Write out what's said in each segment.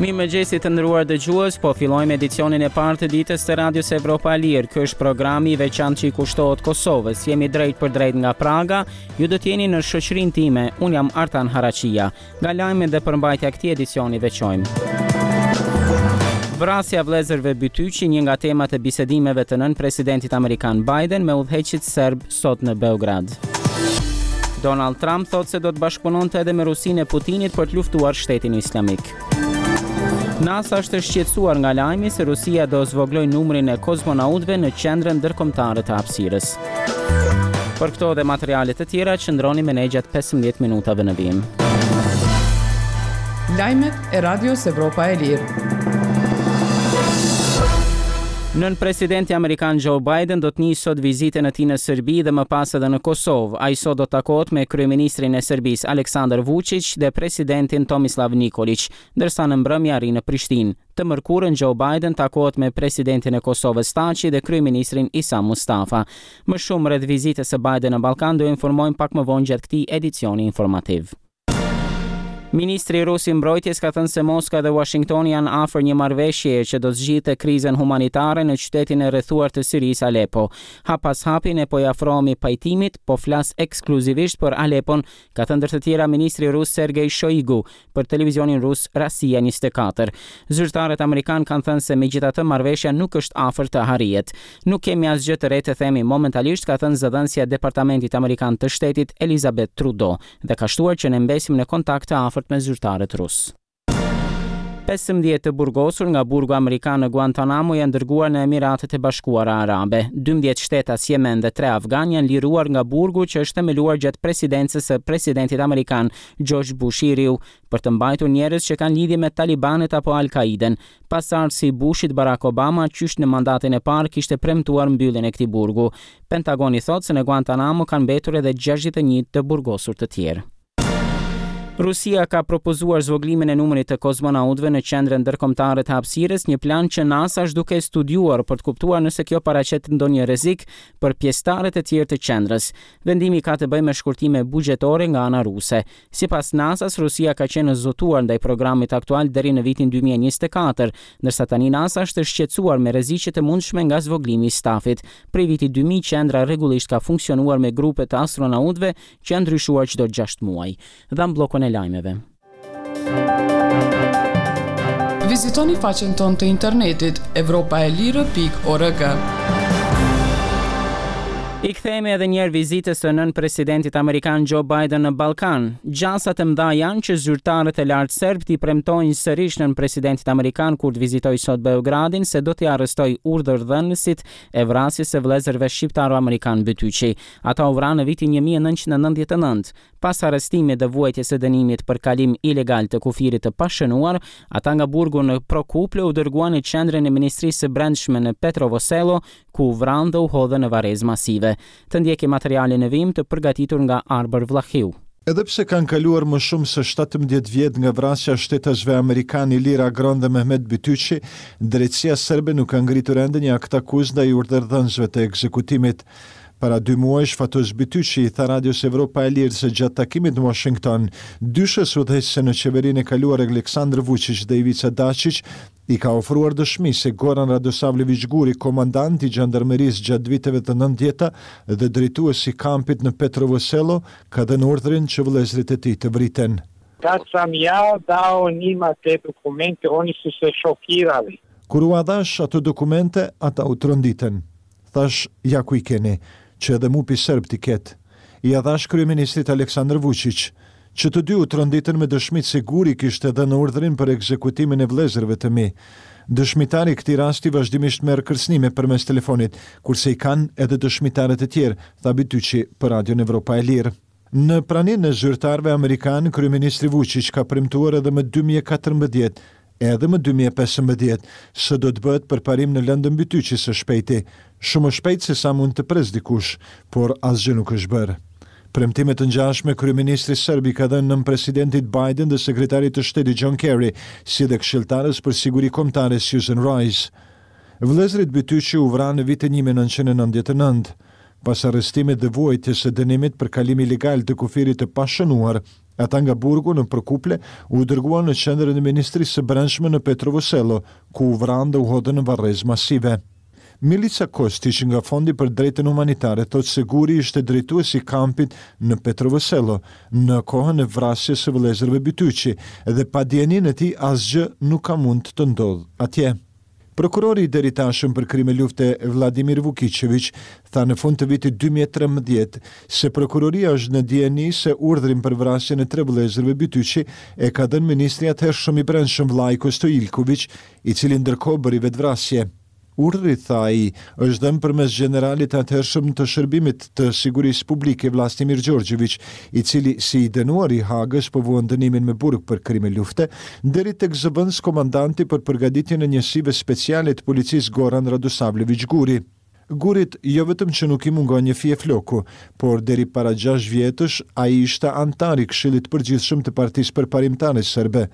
Mirëmëngjesi të nderuar dëgjues, po fillojmë edicionin e parë të ditës të Radios Evropa e Lirë. Ky është programi i veçantë që i kushtohet Kosovës. Jemi drejtpërdrejt nga Praga, ju do të jeni në shoqërinë time, unë jam Artan Haraqija. Nga lajmet dhe përmbajtja e këtij edicioni veçojmë. Vrasja e vëllezërve Bytyqi, një nga temat e bisedimeve të nënpresidentit amerikan Biden me udhëheqësit serbë sot në Beograd. Donald Trump thotë se do të bashkëpunonte edhe me Rusinë e Putinit për të luftuar shtetin islamik. NASA është e shqetësuar nga lajmi se Rusia do zvogëlojë numrin e kozmonautëve në qendrën ndërkombëtare të hapësirës. Për këto dhe materiale të tjera qëndroni me ne gjatë 15 minutave në vijim. Lajmet e Radios Evropa e Lirë. Nënpresidenti amerikan Joe Biden do të nisë sot vizitën e tij në Serbi dhe më pas edhe në Kosovë. Ai sot do të takohet me kryeministrin e Serbisë, Aleksandar Vuçiq dhe presidentin Tomislav Nikoliq, ndërsa në mbrëmje arrin në Prishtinë. Të mërkurën Joe Biden takohet me presidentin e Kosovës Thaçi dhe kryeministrin Isa Mustafa. Më shumë rreth vizitës së Biden në Ballkan do ju informojmë pak më vonë gjatë këtij edicioni informativ. Ministri rus i Mbrojtjes ka thënë se Moska dhe Uashingtoni janë afër një marrëveshjeje që do të zgjidhte krizën humanitare në qytetin e rrethuar të Sirisë, Alepo. Hap pas hapi ne po i afrohemi pajtimit, po flas ekskluzivisht për Alepon, ka thënë ndër të tjera ministri rus Sergei Shoigu për televizionin rus Rossiya 24. Zyrtarët amerikanë kanë thënë se megjithatë marrëveshja nuk është afër të arrihet. Nuk kemi asgjë të re të themi momentalisht, ka thënë zëdhënësja e Departamentit Amerikan të Shtetit, Elizabeth Trudeau. dhe ka shtuar që ne mbesim në kontakt të afërt me zyrtarët rusë. 15 të burgosur nga burgu amerikan në Guantanamo janë dërguar në Emiratet e Bashkuara Arabe. 12 shtetas jemen dhe 3 afganë janë liruar nga burgu që është themeluar gjatë presidencës së presidentit amerikan George Bush i riu për të mbajtur njerëz që kanë lidhje me talibanët apo Al-Kaiden. Pasardhësi i Bushit, Barack Obama, qysh në mandatin e parë kishte premtuar mbylljen e këtij burgu. Pentagoni thotë se në Guantanamo kanë mbetur edhe 61 të burgosur të tjerë. Rusia ka propozuar zvogëlimin e numrit të kozmonautëve në Qendrën Ndërkombëtare të Hapësirës, një plan që NASA është duke e studiuar për të kuptuar nëse kjo paraqet ndonjë rrezik për pjesëtarët e tjerë të qendrës. Vendimi ka të bëjë me shkurtime buxhetore nga ana ruse. Sipas NASA-s, Rusia ka qenë e zotuar ndaj programit aktual deri në vitin 2024, ndërsa tani NASA është e shqetësuar me rreziqet e mundshme nga zvogëlimi i stafit. Prej vitit 2000, qendra rregullisht ka funksionuar me grupe të astronautëve që janë ndryshuar çdo 6 muaj. Dhamë bllokun e lajmeve. Vizitoni faqen tonë të internetit evropaelire.org. I kthehemi edhe njëherë vizitës së nënpresidentit amerikan Joe Biden në Ballkan. Gjasat e mëdha janë që zyrtarët e lartë serbë t'i premtojnë sërish nënpresidentit amerikan kur të vizitojë sot Beogradin se do t'i arrestojë urdhërdhënësit e vrasjes së vëllezërve shqiptaro-amerikanë Bytyqi. Ata u vranë në vitin 1999. Pas arrestimit dhe vuajtjes së dënimit për kalim ilegal të kufirit të pashënuar, ata nga burgu në Prokuple u dërguan në qendrën e Ministrisë së Brendshme në Petrovo Selo, ku u vranë dhe u hodhën në varrezë masive. Të ndjekim materialin në vijim të përgatitur nga Arbër Vllahiu. Edhe pse kanë kaluar më shumë se 17 vjet nga vrasja e shtetasve amerikanë Ilir Agron dhe Mehmet Bytyqi, drejtësia serbe nuk ka ngritur ende një aktakuzë ndaj urdhërdhënësve të ekzekutimit. Para dy muajsh, Fatos Bytyqi i tha Radios Evropa e Lirë se gjatë takimit në Washington, dyshes udhëheqëse në qeverinë e kaluar Aleksandër Vuçiq dhe Ivica Daçiq i ka ofruar dëshmi se Goran Radosavljeviq Guri, komandant i xhandarmerisë gjatë viteve të nëntëdhjeta dhe drejtues i kampit në Petrovo Selo, ka dhënë urdhrin që vëllezërit e tij të vriten. Kad sam ja dao njima te dokumente, oni su se šokirali. Kur ua dhashë ato dokumente, ata u tronditën. Thashë, ja ku i keni, që edhe MUP-i serb t'i ketë. Ia dhashë kryeministrit Aleksandër Vuçiq. Që të dy u tronditën me dëshmitë se Guri kishte dhënë urdhrin për ekzekutimin e vëllezërve të mi. Dëshmitari i këtij rasti vazhdimisht merr kërcënime përmes telefonit, kurse i kanë edhe dëshmitarët e tjerë, tha Bytyqi për Radion Evropa e Lirë. Në praninë e zyrtarëve amerikanë, kryeministri Vuçiq ka premtuar edhe më 2014, edhe më 2015, se do të bëhet përparim në lëndën Bytyqi së shpejti. Shumë më shpejt se sa mund të presë dikush, por asgjë nuk është bërë. Premtime të ngjashme kryeministri serb i ka dhënë nënpresidentit Biden dhe sekretarit të shtetit John Kerry, si dhe këshilltares për siguri kombëtare Susan Rice. Vëllezërit Bytyqi u vranë në vitin 1999. Pas arrestimit dhe vuajtjes së dënimit për kalim ilegal të kufirit të pashënuar, Ata nga burgu në Prokuplje u dërguan në qendrën e Ministrisë së Brendshme në Petrovo Selo, ku u vranë dhe u hodhën në varrezë masive. Milica Kostiq nga Fondi për Drejtën Humanitare thotë se Guri ishte drejtues i kampit në Petrovo Selo në kohën e vrasjes së vëllezërve Bytyqi dhe pa dijeninë e tij asgjë nuk ka mund të ndodhë atje. Prokurori i deritashëm për krime lufte Vladimir Vukiçeviq tha në fund të vitit 2013 se prokuroria është në dijeni se urdhrin për vrasjen e tre vëllezërve Bytyqi e ka dhënë ministri i atëhershëm i Brendshëm Vlajko Stojilkoviq, i cili ndërkohë bëri vetëvrasje. Urdhri, tha ai, është dhënë përmes gjeneralit të atëhershëm të Shërbimit të Sigurisë Publike Vlastimir Gjorgjeviq, i cili si i dënuar i Hagës po vuan dënimin me burg për krime lufte, deri tek zëvendëskomandanti për përgatitjen e njësive speciale të policisë Goran Radosavleviq Guri. Gurit jo vetëm që nuk i mungon një fije floku, por deri para gjashtë vjetësh ai ishte anëtar i Këshillit të Përgjithshëm të Partisë Përparimtare Serbe.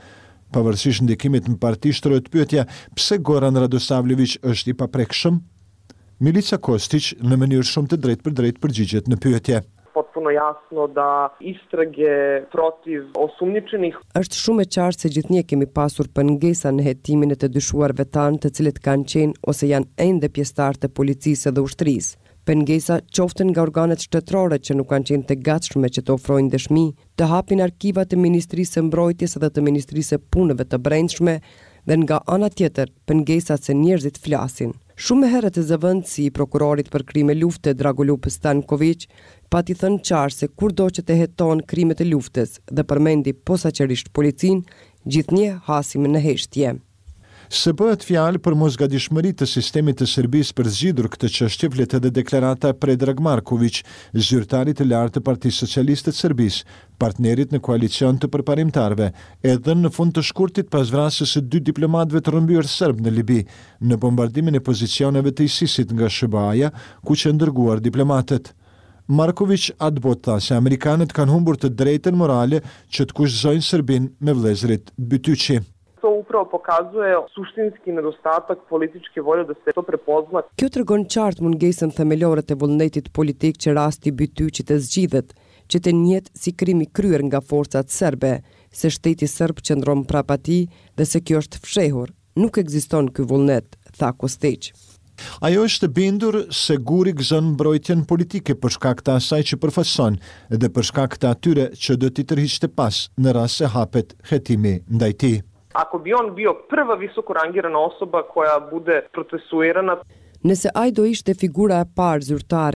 Pavarësisht ndikimit në parti shtrohet pyetja pse Goran Radosavljeviq është i paprekshëm? Milica Kostiq në mënyrë shumë të drejtpërdrejtë përgjigjet në pyetje. Potpuno jasno da istrage protiv osumnjičenih Është shumë e qartë se gjithnjë kemi pasur pengesa në hetimin e të dyshuarve tanë të cilët kanë qenë ose janë ende pjesëtarë të policisë dhe ushtrisë. Pengesa qoftë nga organet shtetërore që nuk kanë qenë të gatshme që të ofrojnë dëshmi, të hapin arkivat e Ministrisë së Mbrojtjes dhe të Ministrisë së Punëve të Brendshme dhe nga ana tjetër pengesat se njerëzit flasin. Shumë më herët zëvendësi i prokurorit për krime lufte Dragoljub Stankoviq pati thënë qartë se kurdo që të hetohen krimet e luftës dhe përmendi posaçërisht policinë, gjithnjë hasim në heshtje. Se bëhet fjalë për mosgatishmëri të sistemit të Serbisë për zgjidhur këtë çështje flet edhe deklarata e Predrag Markoviq, zyrtarit të lartë të Partisë Socialiste të Serbisë, partnerit në koalicion të përparimtarëve, e dhënë në fund të shkurtit pas vrasjes së dy diplomatëve të rrëmbyer serbë në Libi, në bombardimin e pozicioneve të ISIS-it nga SHBA-ja, ku qenë dërguar diplomatët. Markoviq atëbotë tha se amerikanët kanë humbur të drejtën morale që të kushtëzojnë Serbinë me vëllezërit Bytyqi. To upravo pokazuje suštinski nedostatak političke volje da se to prepozna. Kjo tregon qartë mungesën themelore të vullnetit politik që rasti Bytyqi të zgjidhet, që të njihet si krim i kryer nga forcat serbe, se shteti serb qëndron prapa tij dhe se kjo është fshehur. Nuk ekziston ky vullnet, tha Kostiq. Ajo është e bindur se Guri gëzon mbrojtjen politike për shkak të asaj që përfaqëson dhe për shkak të atyre që do t'i tërhiqte pas në rast se hapet hetimi ndaj tij. Ako bi on bio prva visoko rangirana osoba koja bude procesuirana, Nëse ai do ishte figura e parë zyrtare.